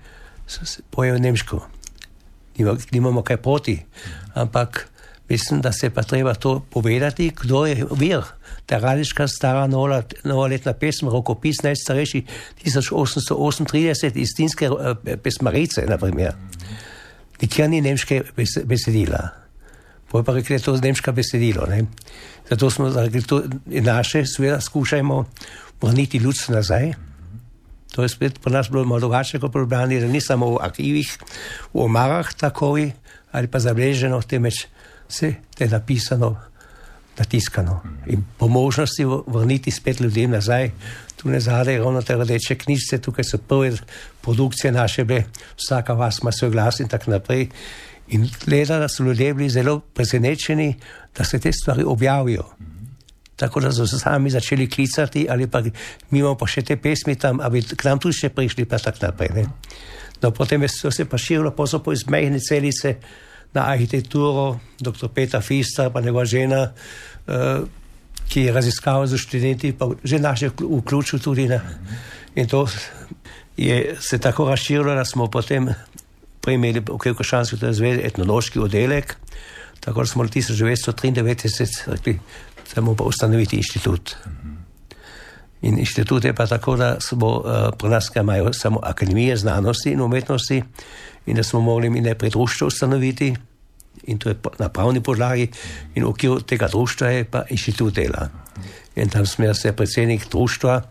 Speaker 3: pojejo nemško. Nimamo kaj proti, ampak mislim, da se pa treba to povedati, kdo je vir. Ta radiška stara nola, novoletna pesem, rokopis najstarejši tisoč osemsto osemintrideset iz Tinske uh, pesmarice, na primer. Nikjer ni nemške besedila. Poj pa rekli, to je nemška besedilo. Ne? Zato smo rekli, to naše, seveda skušajmo vrniti ljudstvo nazaj. To je spet po nas bilo malo drugače kot problemi, da ni samo v arhivih, v omarah takovi, ali pa zabeleženo, temveč vse je napisano, natiskano. In po možnosti vrniti spet ljudem nazaj. Tu ne zadaj ravno te rdeče knjižice, tukaj so prve produkcije naše bile, vsaka vas ima svoj glas in tako naprej. In gleda, da so ljudje bili zelo presenečeni, da se te stvari objavijo. Tako da so se sami začeli klicati, ali pa mi imamo pa še te pesmi tam, ali k nam tudi še prišli, pa tako naprej. Ne? No, potem je se pa širilo, pa so po iz mehne celice na arhitekturo, doktor Peter Fister, pa njegova žena, uh, ki je raziskal z študenti, pa že naše vključil tudi. Ne? In to je se tako razširilo, da smo potem imeli v Krščanski družbeni zvezi etnološki oddelek, tako da smo v tisoč devetsto triindevetdeset rekli, da moramo pa ustanoviti inštitut. In inštitut je pa tako, da smo uh, pri nas imajo samo akademije znanosti in umetnosti in da smo mogli mi najprej društvo ustanoviti in to je na pravni podlagi in v okviru tega društva je pa inštitut dela. In tam smo se predsednik društva,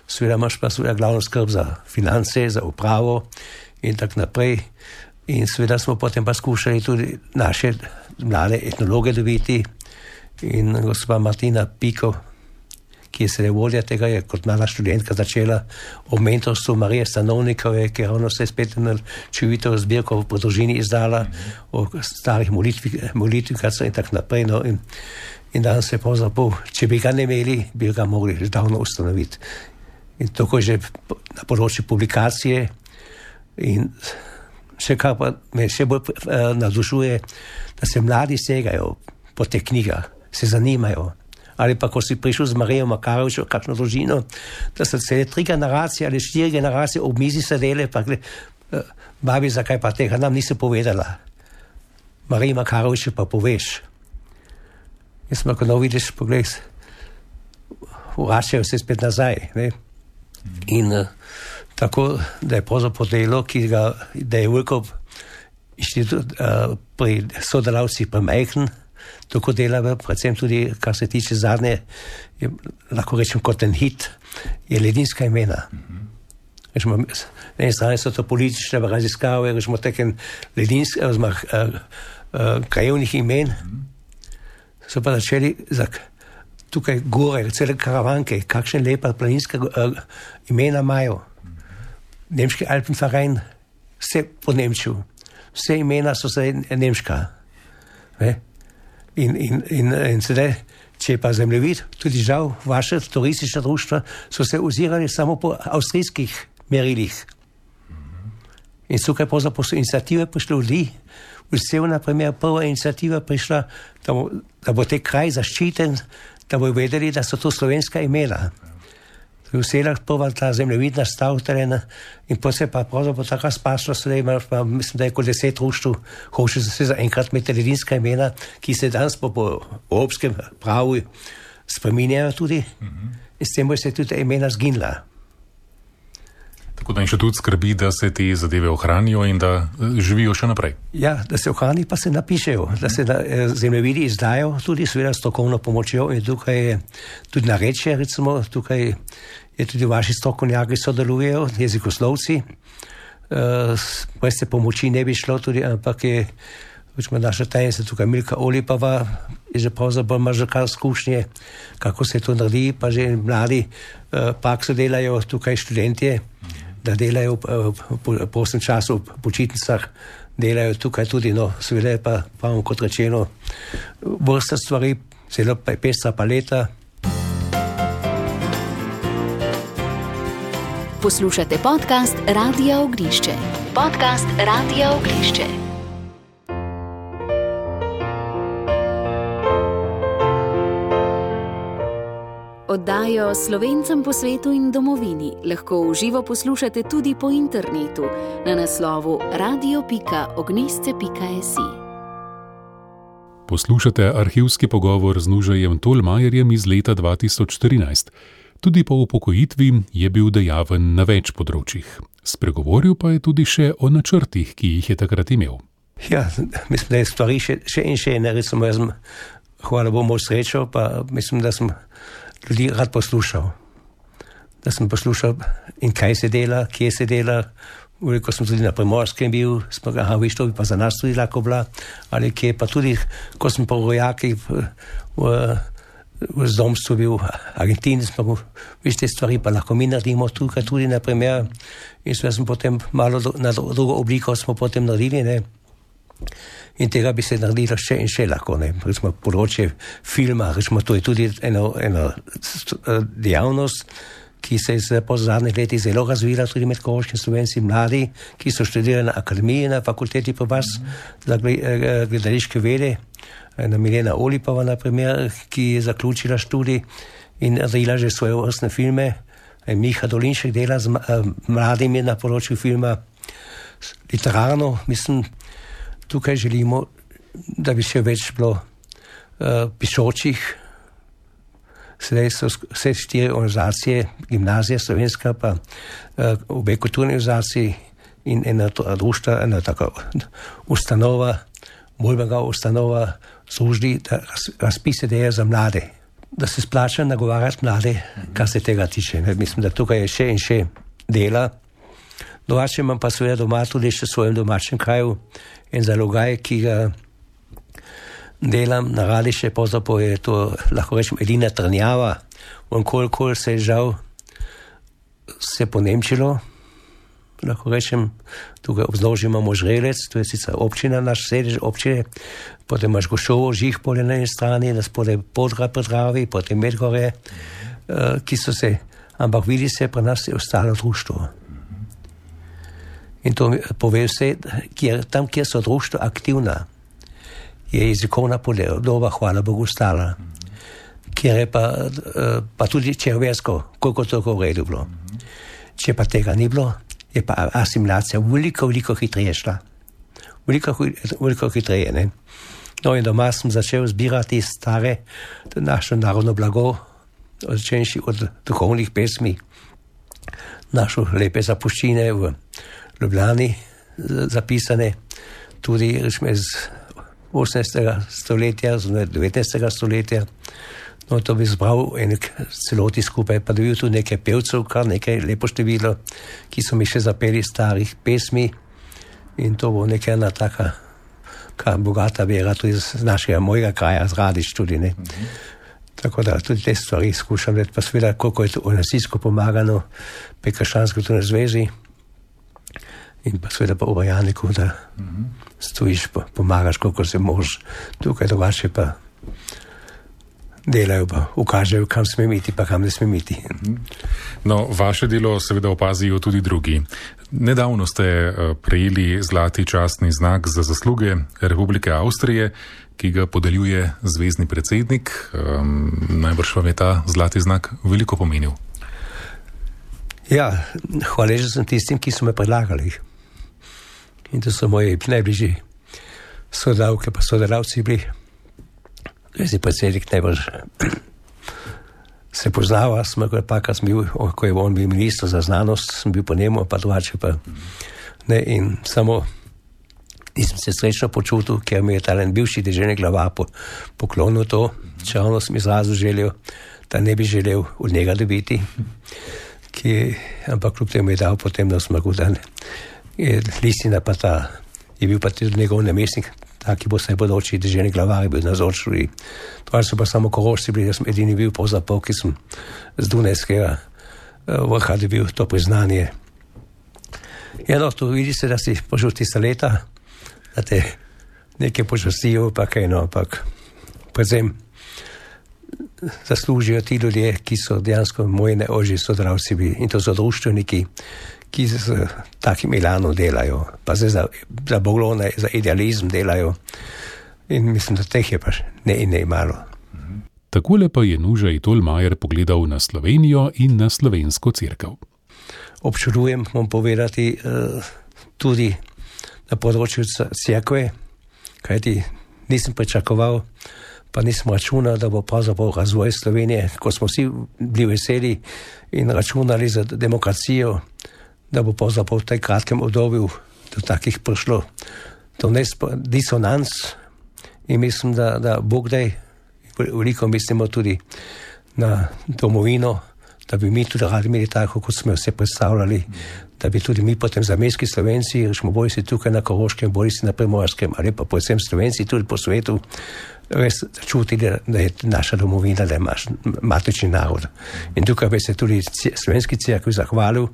Speaker 3: seveda imaš pa seveda glavno skrb za finance, za upravo in tako naprej. In seveda smo potem pa skušali tudi naše mlade etnologe dobiti in gospa Martina Piko, ki je sedaj vodja tega, je kot mlada študentka začela o mentorstvu Marije Stanovnikove, ki je ravno se spet na čuvito zbirko v družini izdala, o starih molitvikacah in tako naprej. No. In, In danes se pravzaprav, če bi ga ne imeli, bi ga mogli že davno ustanoviti. In tako že na področju publikacije in še kar pa me še bolj uh, navdušuje, da se mladi segajo po teh knjigah, se zanimajo. Ali pa, ko si prišel z Marijo Makarovičo, kakšno družino, da so cele tri generacije ali štiri generacije ob mizi sedele, pa gled, uh, babi, zakaj pa tega nam nisi povedala. Marija Makaroviča pa poveš. Jaz sem, ko no vidiš, pogled, vračajo se spet nazaj, ne? In uh, tako, da je pravzaprav delo, ki ga, da je veliko inštitut uh, pri sodelavcih premajhen, tako dela, predvsem tudi, kar se tiče zadnje, je, lahko rečem kot en hit, je Ledinska imena. Rečemo, na eni strani so to politične raziskave, rečemo teken ledinskih, oziroma uh, uh, krajevnih imen, so pa začeli za tukaj gore, cele karavanke, kakšne lepa planinska uh, imena imajo. Nemški Alpenverein, vse po Nemčiju. Vse imena so se nemška. Ne? In, in, in, in sedaj, če pa zemljevid, tudi žal, vaše turistične društva so se ozirali samo po avstrijskih merilih. In tukaj pravzaprav so iniciative prišle ljudi. Vse na primer prva iniciativa prišla, da bo, da bo te kraj zaščiten, da bojo vedeli, da so to slovenska imena. V selah prva ta zemljevidna stav terena in potem se pa pravzaprav tako spaslo, sedaj ima, pa mislim, da je kot deset društv, hoče se za enkrat imeti ledinska imena, ki se danes po, po evropskem pravu spreminjajo tudi, mm-hmm. In s tem bo se tudi imena zginila.
Speaker 2: Tako da inštitut skrbi, da se te zadeve ohranijo in da živijo še naprej.
Speaker 3: Ja, da se ohrani, pa se napišejo, da se na, zemljevidi izdajo tudi seveda strokovno pomočjo in tukaj je tudi narečje, recimo, tukaj je tudi vaši strokovnjaki sodelujejo, jezikoslovci, uh, brez te pomoči ne bi šlo tudi, ampak je, večmo naša tajnica tukaj Milka Olipova, je že pravzaprav ima že kar izkušnje, kako se to naredi, pa že mladi uh, prakso delajo tukaj študentje, da delajo po prostem času v počitnicah, delajo tukaj tudi, no, seveda je pa, pravim kot rečeno, vrsta stvari, zelo pestra paleta.
Speaker 1: Poslušate podcast Radia Ognišče. Podcast Radia Ognišče. Oddajo Slovencem po svetu in domovini lahko v živo poslušate tudi po internetu na naslovu radio pika ognisce pika si.
Speaker 2: Poslušate arhivski pogovor z Nužajem Tolmajerjem iz leta dva tisoč štirinajst. Tudi po upokojitvi je bil dejaven na več področjih. Spregovoril pa je tudi še o načrtih, ki jih je takrat imel.
Speaker 3: Ja, mislim, da je stvari še, še in še ne, recimo, jaz sem, hvala Bogu, srečo, pa mislim, da sem ljudi rad poslušal. Da sem poslušal in kaj se dela, kje se dela. Veliko sem tudi na Primorskem bil, smo ga, aha, viš, to bi pa za nas tudi lahko bila, ali kje, pa tudi, ko sem po rojaki v, v, v zdomstvu bil v Argentini, smo, viš, te stvari pa lahko mi naredimo tukaj tudi, na primer, in sem potem malo do, na drugo obliko smo potem naredili, ne. In tega bi se naredilo še in še lahko, ne. Recimo področje filma, recimo to je tudi eno, eno dejavnost, ki se je po zadnjih letih zelo razvila tudi med koroškimi Slovenci mladi, ki so študirali na akademiji, na fakulteti pa vas mm-hmm. za gledališke vede, na Milena Olipova, na primer, ki je zaključila študij in naredila že svoje vrstne filme. Miha Dolinšek dela z mladimi na področju filma. Literarno, mislim, tukaj želimo, da bi še več bilo uh, pišočih. Sedaj so vse štiri organizacije, gimnazija slovenska, pa uh, obe kulturne organizacije in ena društva, ena taka ustanova, Bolbega ustanova, službi, da razpise delajo za mlade, da se splača nagovarjati mlade, kar se tega tiče. Ne? Mislim, da tukaj je še in še dela. Domače imam pa seveda doma tudi še v svojem domačem kraju en zalogaj, ki ga delam na Radiše, pravzaprav je to, lahko rečem, edina trnjava, on kolikor se je žal se ponemčilo, lahko rečem, tukaj obznož imamo Žrelec, to je sicer občina, naš sedež občine, potem imaš Gošovo, Žihpolje na eni strani, naspodaj Podra pri Dravi, potem Medgorje, uh, ki so se, ampak vidi se, pri nas je ostalo društvo. In to pove vse, kjer, tam, kjer so društva aktivna, je jezikovna podoba, hvala Bogu, stala. Kjer je pa, uh, pa tudi červersko, koliko toliko v redu bilo. Če pa tega ni bilo, je pa asimilacija veliko, veliko hitreje šla. Veliko, veliko hitreje, ne. No in doma sem začel zbirati stare, naše narodno blago, začenši od duhovnih pesmi, našo lepe zapuščine v Ljubljani zapisane, tudi rečme iz osemnajstega stoletja, z devetnajstega stoletja. No, to bi zbral enek celoti skupaj, pa dobil tudi nekaj pevcev, kar nekaj lepo število, ki so mi še zapeli starih pesmi in to bo nekaj ena taka, kar bogata vera tudi z našega mojega kraja, z Radič tudi, ne. Mm-hmm. Tako da tudi te stvari skušam let, pa seveda, koliko je to organizacijsko pomagano pri Krščanski kulturni zvezi in pa seveda pa v Bajaniku, da mm-hmm. stojiš, pomagaš, koliko se možeš, tukaj drugače pa delajo pa ukažejo, kam sme iti, pa kam ne sme iti.
Speaker 2: No, vaše delo seveda opazijo tudi drugi. Nedavno ste prejeli zlati častni znak za zasluge Republike Avstrije, ki ga podeljuje zvezni predsednik. Um, najbrž vam je ta zlati znak veliko pomenil.
Speaker 3: Ja, hvaležen sem tistim, ki so me predlagali. In to so moji najbližji sodelavke pa sodelavci bili. Zvezni predsednik najbolj se poznava, smo pa, ko, bil, ko je on bil minister za znanost, sem bil po njemu, pa drugače pa ne, in samo nisem se srečno počutil, ker mi je talen bivši deželni glavar po, poklonil to, čeravno sem izrazil željo, da ne bi želel od njega dobiti, ki, ampak kljub temu je dal potem na smrku, da je listina pa ta, je bil pa tudi njegov namestnik, taki bo se bodoči deželni glavar bil nazočili. To so pa samo Korošci bili, da sem edini bil pravzaprav, ki sem z Dunajskega vrha dobil to priznanje. Eno, tu vidi se, da si požil tista leta, da te nekaj počastijo, pa kaj no, ampak predvsem zaslužijo ti ljudje, ki so dejansko moji najožji sodelavci bili. In to so društveniki, ki z takim elanom delajo, pa zdaj za, za boglone, za idealizem delajo. In mislim, da teh je pa ne in ne malo.
Speaker 2: Takole pa je Nužaj Tolmajer pogledal na Slovenijo in na slovensko cerkev.
Speaker 3: Občudujem, moram povedati, tudi na področju cerkve, kajti nisem pričakoval, pa nisem računal, da bo pravzaprav razvoj Slovenije, ko smo vsi bili veseli in računali za demokracijo, da bo pravzaprav v tej kratkem obdobju do takih prišlo do disonanc in mislim, da, da Bog daj, veliko mislimo tudi na domovino, da bi mi tudi radi imeli tako, kot smo se predstavljali, da bi tudi mi potem zamejski Slovenci, rečemo, boli si tukaj na Koroškem, boli si na Primorskem, ali pa predvsem Slovenci tudi po svetu, res čutili, da je naša domovina, da je naš matični narod. In tukaj bi se tudi slovenski cerkvi zahvalil.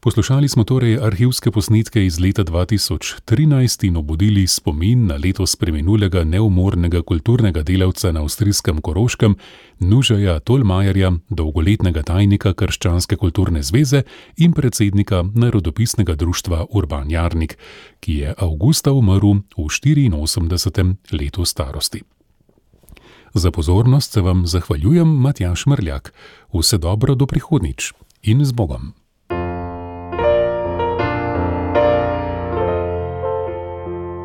Speaker 2: Poslušali smo torej arhivske posnetke iz leta dva tisoč trinajst in obudili spomin na letos preminulega neumornega kulturnega delavca na avstrijskem Koroškem, Nužaja Tolmajerja, dolgoletnega tajnika Krščanske kulturne zveze in predsednika Narodopisnega društva Urban Jarnik, ki je avgusta umrl v štiriinosemdesetem letu starosti. Za pozornost se vam zahvaljujem, Matjaž Mrljak. Vse dobro do prihodnjič in z Bogom.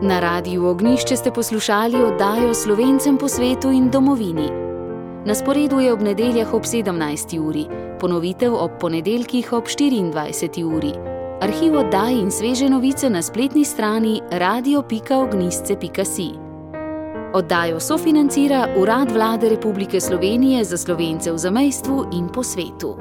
Speaker 1: Na Radiu Ognjišče ste poslušali oddajo Slovencem po svetu in domovini. Na sporedu je ob nedeljah ob sedemnajsti uri, ponovitev ob ponedeljkih ob štiriindvajseti uri. Arhiv oddaj in sveže novice na spletni strani radio pika ognjišče pika si. Oddajo sofinancira Urad Vlade Republike Slovenije za Slovence v zamejstvu in po svetu.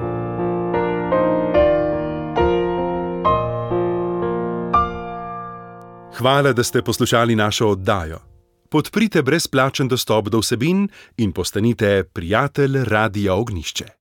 Speaker 4: Hvala, da ste poslušali našo oddajo. Podprite brezplačen dostop do vsebin in postanite prijatelj Radia Ognjišče.